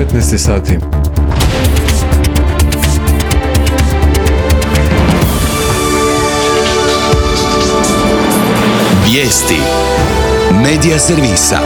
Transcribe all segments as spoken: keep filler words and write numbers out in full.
petnaest sati. Vijesti Medija servisa.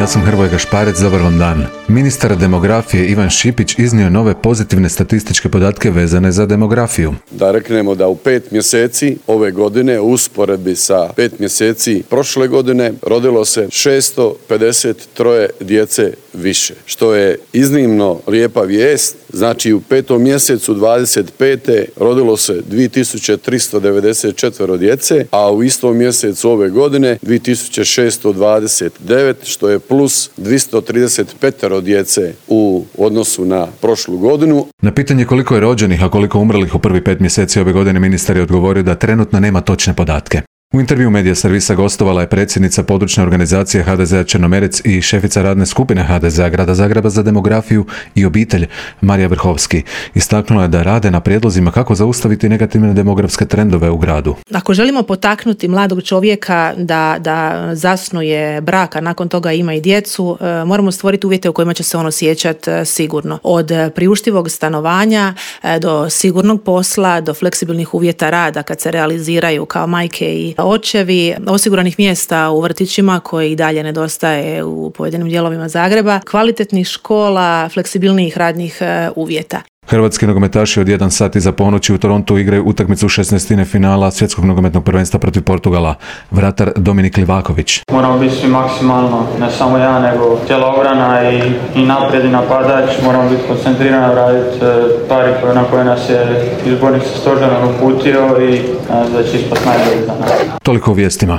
Ja sam Hrvoje Gašparec, dobar vam dan. Ministar demografije Ivan Šipić iznio je nove pozitivne statističke podatke vezane za demografiju. Da reknemo da u pet mjeseci ove godine, u usporedbi sa pet mjeseci prošle godine, rodilo se šesto pedeset tri djece više, što je iznimno lijepa vijest. Znači u petom mjesecu dvadeset pete rodilo se dvije tisuće tristo devedeset četiri djece, a u istom mjesecu ove godine dvije tisuće šesto dvadeset devet, što je plus dvjesto trideset pet djece u odnosu na prošlu godinu. Na pitanje koliko je rođenih, a koliko umrlih u prvi pet mjeseci ove godine, ministar je odgovorio da trenutno nema točne podatke. U intervju Medija servisa gostovala je predsjednica područne organizacije ha de zea Črnomerec i šefica radne skupine ha de zea Grada Zagreba za demografiju i obitelj Marija Vrhovski. Istaknula je da rade na prijedlozima kako zaustaviti negativne demografske trendove u gradu. Ako želimo potaknuti mladog čovjeka da, da zasnuje brak, a nakon toga ima i djecu, moramo stvoriti uvjete u kojima će se on osjećati sigurno. Od priuštivog stanovanja do sigurnog posla, do fleksibilnih uvjeta rada kad se realiziraju kao majke i očevi, osiguranih mjesta u vrtićima koji i dalje nedostaje u pojedinim dijelovima Zagreba, kvalitetnih škola, fleksibilnijih radnih uvjeta. Hrvatski nogometaši od jedan sat iza ponoći u Torontu igraju utakmicu šesnaestine finala svjetskog nogometnog prvenstva protiv Portugala. Vratar Dominik Livaković. Moramo biti svi maksimalno, ne samo ja, nego cijela obrana i, i naprijed i napadač. Moramo biti koncentrirani, raditi stvari na koje nas je izbornik sa stožerom uputio i da će ispast najbolje za nas. Toliko u vijestima.